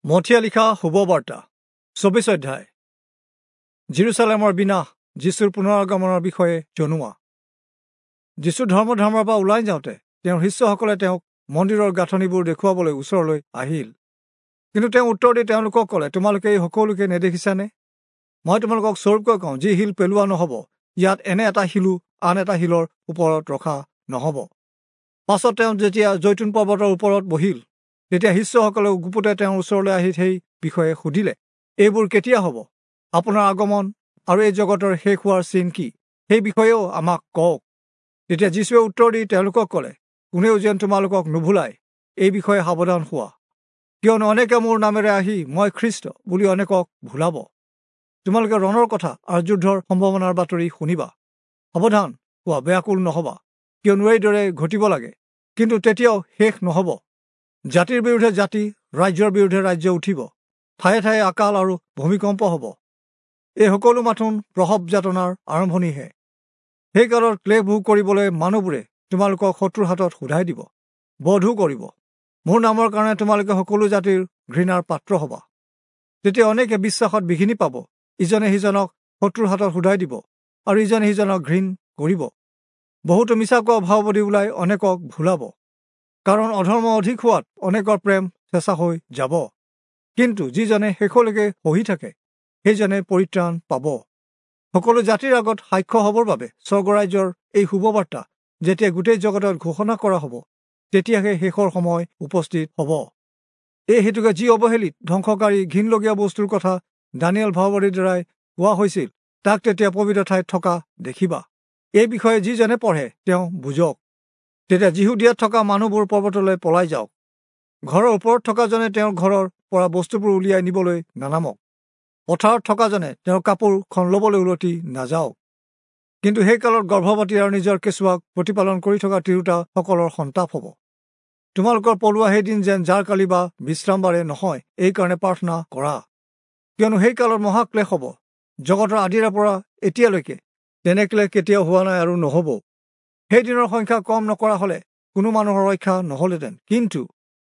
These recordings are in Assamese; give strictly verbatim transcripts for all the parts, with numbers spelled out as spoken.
মথিয়ে লিখা শুভবাৰ্তা চৌবিশ অধ্যায়। জিৰচালেমৰ বিনাশ, যীশুৰ পুনৰাগমনৰ বিষয়ে জনোৱা। যীশু ধৰ্মধামৰ পৰা ওলাই যাওঁতে তেওঁৰ শিষ্যসকলে তেওঁক মন্দিৰৰ গাঁথনিবোৰ দেখুৱাবলৈ ওচৰলৈ আহিল। কিন্তু তেওঁ উত্তৰ দি তেওঁলোকক ক'লে, তোমালোকে এই সকলোকে নেদেখিছানে? মই তোমালোকক স্বৰূপকৈ কওঁ, যি শিল পেলোৱা নহ'ব, ইয়াত এনে এটা শিলো আন এটা শিলৰ ওপৰত ৰখা নহ'ব। পাছত তেওঁ যেতিয়া জৈতুন পৰ্বতৰ ওপৰত বহিল, তেতিয়া শিষ্যসকলেও গুপুতে তেওঁৰ ওচৰলৈ আহি সেই বিষয়ে সুধিলে, এইবোৰ কেতিয়া হ'ব? আপোনাৰ আগমন আৰু এই জগতৰ শেষ হোৱাৰ চিন কি, সেই বিষয়েও আমাক কওক। তেতিয়া যীশুৱে উত্তৰ দি তেওঁলোকক ক'লে, কোনেও যেন তোমালোকক নুভুলায়, এই বিষয়ে সাৱধান হোৱা। কিয়নো অনেকে মোৰ নামেৰে আহি মই খ্ৰীষ্ট বুলি অনেকক ভুলাব। তোমালোকে ৰণৰ কথা আৰু যুদ্ধৰ সম্ভাৱনাৰ বাতৰি শুনিবা। সাৱধান হোৱা, ব্যাকুল নহ'বা, কিয়নো এইদৰে ঘটিব লাগে, কিন্তু তেতিয়াও শেষ নহ'ব। জাতিৰ বিৰুদ্ধে জাতি, ৰাজ্যৰ বিৰুদ্ধে ৰাজ্য উঠিব, ঠায়ে ঠায়ে আকাল আৰু ভূমিকম্প হ'ব। এই সকলো মাথোন প্ৰসৱ যাতনাৰ আৰম্ভণিহে। সেই কালত ক্লেশ ভোগ কৰিবলৈ মানুহবোৰে তোমালোকক শত্ৰুৰ হাতত সোধাই দিব, বধো কৰিব। মোৰ নামৰ কাৰণে তোমালোকে সকলো জাতিৰ ঘৃণাৰ পাত্ৰ হ'বা। তেতিয়া অনেকে বিশ্বাসত বিঘিনি পাব, ইজনে সিজনক শত্ৰুৰ হাতত সোধাই দিব আৰু ইজনে সিজনক ঘৃণ কৰিব। বহুতো মিছা কোৱা ভাওবাদী ওলাই অনেকক ভুলাব, কাৰণ অধৰ্ম অধিক হোৱাত অনেকৰ প্ৰেম চেঁচা হৈ যাব। কিন্তু যিজনে শেষলৈকে সহি থাকে, সেইজনে পৰিত্ৰাণ পাব। সকলো জাতিৰ আগত সাক্ষ্য হ'বৰ বাবে স্বৰ্গৰাজ্যৰ এই শুভবাৰ্তা যেতিয়া গোটেই জগতত ঘোষণা কৰা হ'ব, তেতিয়াহে শেষৰ সময় উপস্থিত হ'ব। এই হেতুকে যি অৱহেলিত ধ্বংসকাৰী ঘিণলগীয়া বস্তুৰ কথা দানিয়েল ভাওবাদীৰ দ্বাৰাই কোৱা হৈছিল, তাক তেতিয়া পবিত্ৰ ঠাইত থকা দেখিবা। এই বিষয়ে যিজনে পঢ়ে তেওঁ বুজক। তেতিয়া যিহুদিয়াত থকা মানুহবোৰ পৰ্বতলৈ পলাই যাওক। ঘৰৰ ওপৰত থকাজনে তেওঁৰ ঘৰৰ পৰা বস্তুবোৰ উলিয়াই নিবলৈ নানামক। পথাৰত থকাজনে তেওঁৰ কাপোৰখন ল'বলৈ উলটি নাযাওক। কিন্তু সেই কালত গৰ্ভৱতী আৰু নিজৰ কেঁচুৱাক প্ৰতিপালন কৰি থকা তিৰোতাসকলৰ সন্তাপ হ'ব। তোমালোকৰ পলোৱা সেইদিন যেন জাৰকালি বা বিশ্ৰামবাৰে নহয়, এইকাৰণে প্ৰাৰ্থনা কৰা। কিয়নো সেই কালত মহাক্লেশ হ'ব, জগতৰ আদিৰে পৰা এতিয়ালৈকে তেনে ক্লেশ কেতিয়াও হোৱা নাই আৰু নহ'ব। সেইদিনৰ সংখ্যা কম নকৰা হ'লে কোনো মানুহৰ ৰক্ষা নহ'লহেঁতেন, কিন্তু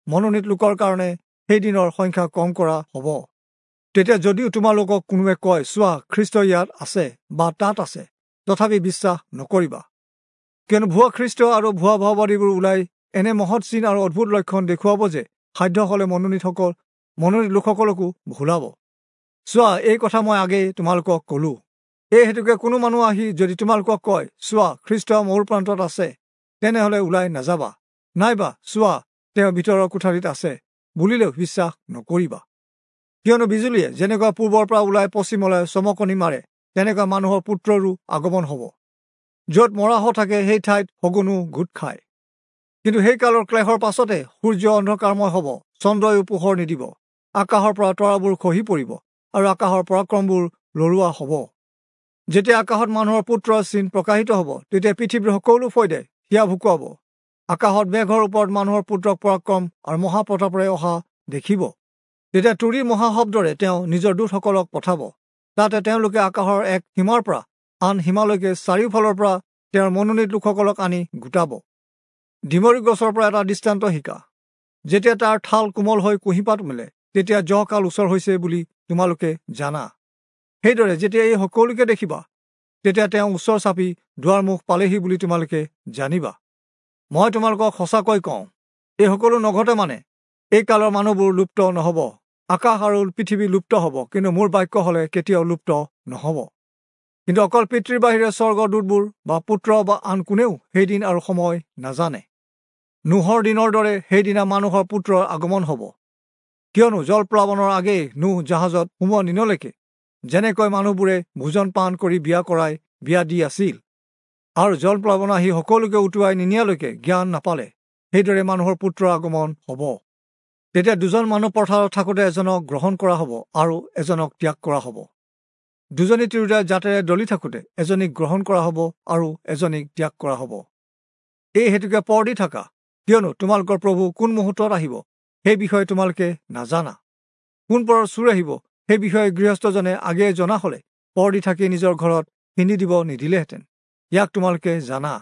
মনোনীত লোকৰ কাৰণে সেইদিনৰ সংখ্যা কম কৰা হ'ব। তেতিয়া যদিও তোমালোকক কোনোৱে কয়, চোৱা খ্ৰীষ্ট ইয়াত আছে বা তাত আছে, তথাপি বিশ্বাস নকৰিবা। কিয়নো ভুৱা খ্ৰীষ্ট আৰু ভুৱা ভাওবাদীবোৰ ওলাই এনে মহৎ চিন আৰু অদ্ভুত লক্ষণ দেখুৱাব যে সাধ্য হ'লে মনোনীতসকল মনোনীত লোকসকলকো ভুলাব। চোৱা, এই কথা মই আগেয়ে তোমালোকক ক'লো। এই হেতুকে কোনো মানুহ আহি যদি তোমালোকক কয়, চোৱা খ্ৰীষ্ট মোৰ প্ৰান্তত আছে, তেনেহ'লে ওলাই নাযাবা, নাইবা চোৱা তেওঁ ভিতৰৰ কোঠালিত আছে বুলিলেও বিশ্বাস নকৰিবা। কিয়নো বিজুলীয়ে যেনেকুৱা পূৰ্বৰ পৰা ওলাই পশ্চিমলৈ চমকনি মাৰে, তেনেকুৱা মানুহৰ পুত্ৰৰো আগমন হ'ব। য'ত মৰাশ থাকে সেই ঠাইত শগুনো গোট খায়। কিন্তু সেই কালৰ ক্লেশৰ পাছতে সূৰ্য অন্ধকাৰময় হ'ব, চন্দ্ৰয়ো পোহৰ নিদিব, আকাশৰ পৰা তৰাবোৰ খহি পৰিব আৰু আকাশৰ পৰাক্ৰমবোৰ লৰোৱা হ'ব। যেতিয়া আকাশত মানুহৰ পুত্ৰৰ চিন প্ৰকাশিত হ'ব, তেতিয়া পৃথিৱীৰ সকলো ফৈদে হিয়া ভুকুৱাব। আকাশত মেঘৰ ওপৰত মানুহৰ পুত্ৰক পৰাক্ৰম আৰু মহাপ্ৰতাপেৰে অহা দেখিব। তেতিয়া তুৰীৰ মহাশব্দৰে তেওঁ নিজৰ দূতসকলক পঠাব। তাতে তেওঁলোকে আকাশৰ এক সীমাৰ পৰা আন সীমালৈকে চাৰিওফালৰ পৰা তেওঁৰ মনোনীত লোকসকলক আনি গোটাব। ডিমৰি গছৰ পৰা এটা দৃষ্টান্ত শিকা। যেতিয়া তাৰ ঠাল কোমল হৈ কুঁহিপাত মেলে, তেতিয়া জহকাল ওচৰ হৈছে বুলি তোমালোকে জানা। সেইদৰে যেতিয়া এই সকলোকে দেখিবা, তেতিয়া তেওঁ ওচৰ চাপি দুৱাৰমুখ পালেহি বুলি তোমালোকে জানিবা। মই তোমালোকক সঁচাকৈ কওঁ, এই সকলো নঘটে মানে এই কালৰ মানুহবোৰ লুপ্ত নহ'ব। আকাশ আৰু পৃথিৱী লুপ্ত হ'ব, কিন্তু মোৰ বাক্য হ'লে কেতিয়াও লুপ্ত নহ'ব। কিন্তু অকল পিতৃৰ বাহিৰে স্বৰ্গৰ দূতবোৰ বা পুত্ৰ বা আন কোনেও সেইদিন আৰু সময় নাজানে। নোহৰ দিনৰ দৰে সেইদিনা মানুহৰ পুত্ৰৰ আগমন হ'ব। কিয়নো জলপ্লাৱনৰ আগেয়ে নোহ জাহাজত সোমোৱা দিনলৈকে যেনেকৈ মানুহবোৰে ভোজন পান কৰি বিয়া কৰাই বিয়া দি আছিল, আৰু জলপ্লাৱন আহি সকলোকে উটুৱাই নিনিয়ালৈকে জ্ঞান নাপালে, সেইদৰে মানুহৰ পুত্ৰৰ আগমন হ'ব। তেতিয়া দুজন মানুহ পথাৰত থাকোঁতে এজনক গ্ৰহণ কৰা হ'ব আৰু এজনক ত্যাগ কৰা হ'ব। দুজনী তিৰোতাই জাতেৰে দলি থাকোঁতে এজনীক গ্ৰহণ কৰা হ'ব আৰু এজনীক ত্যাগ কৰা হ'ব। এই হেতুকে পৰ দি থাকা, কিয়নো তোমালোকৰ প্ৰভু কোন মুহূৰ্তত আহিব সেই বিষয়ে তোমালোকে নাজানা। কোন পৰত চোৰ আহিব সেই বিষয়ে গৃহস্থজনে আগেয়ে জনা হ'লে পৰ দি থাকি নিজৰ ঘৰত পিন্ধি দিব নিদিলেহেঁতেন। ইয়াক তোমালোকে জানা।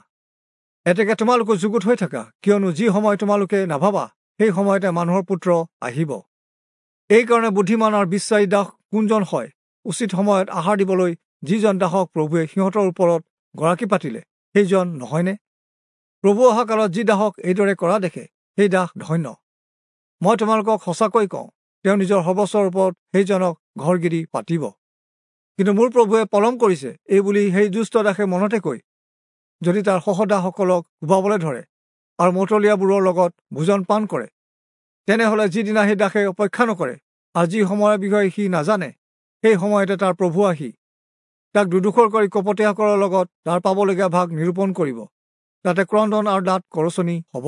এতেকে তোমালোকো যুগুত হৈ থাকা, কিয়নো যি সময় তোমালোকে নাভাবা সেই সময়তে মানুহৰ পুত্ৰ আহিব। এইকাৰণে বুদ্ধিমান আৰু বিশ্বাসী দাস কোনজন হয়, উচিত সময়ত আহাৰ দিবলৈ যিজন দাসক প্ৰভুৱে সিহঁতৰ ওপৰত গৰাকী পাতিলে সেইজন নহয়নে? প্ৰভু অহা কালত যি দাসক এইদৰে কৰা দেখে সেই দাস ধন্য। মই তোমালোকক সঁচাকৈ কওঁ, তেওঁ নিজৰ সৰ্বস্বৰ ওপৰত সেইজনক ঘৰগিৰি পাতিব। কিন্তু মোৰ প্ৰভুৱে পলম কৰিছে এই বুলি সেই দুষ্ট দাসে মনতে কৈ যদি তাৰ সহদাসসকলক কোবাবলৈ ধৰে আৰু মতলীয়াবোৰৰ লগত ভোজন পান কৰে, তেনেহ'লে যিদিনা সেই দাসে অপেক্ষা নকৰে আৰু যি সময়ৰ বিষয়ে সি নাজানে, সেই সময়তে তাৰ প্ৰভু আহি তাক দুদুখৰ কৰি কপটীয়াসকলৰ লগত তাৰ পাবলগীয়া ভাগ নিৰূপণ কৰিব। তাতে ক্ৰন্দন আৰু দাঁত কৰচনি হ'ব।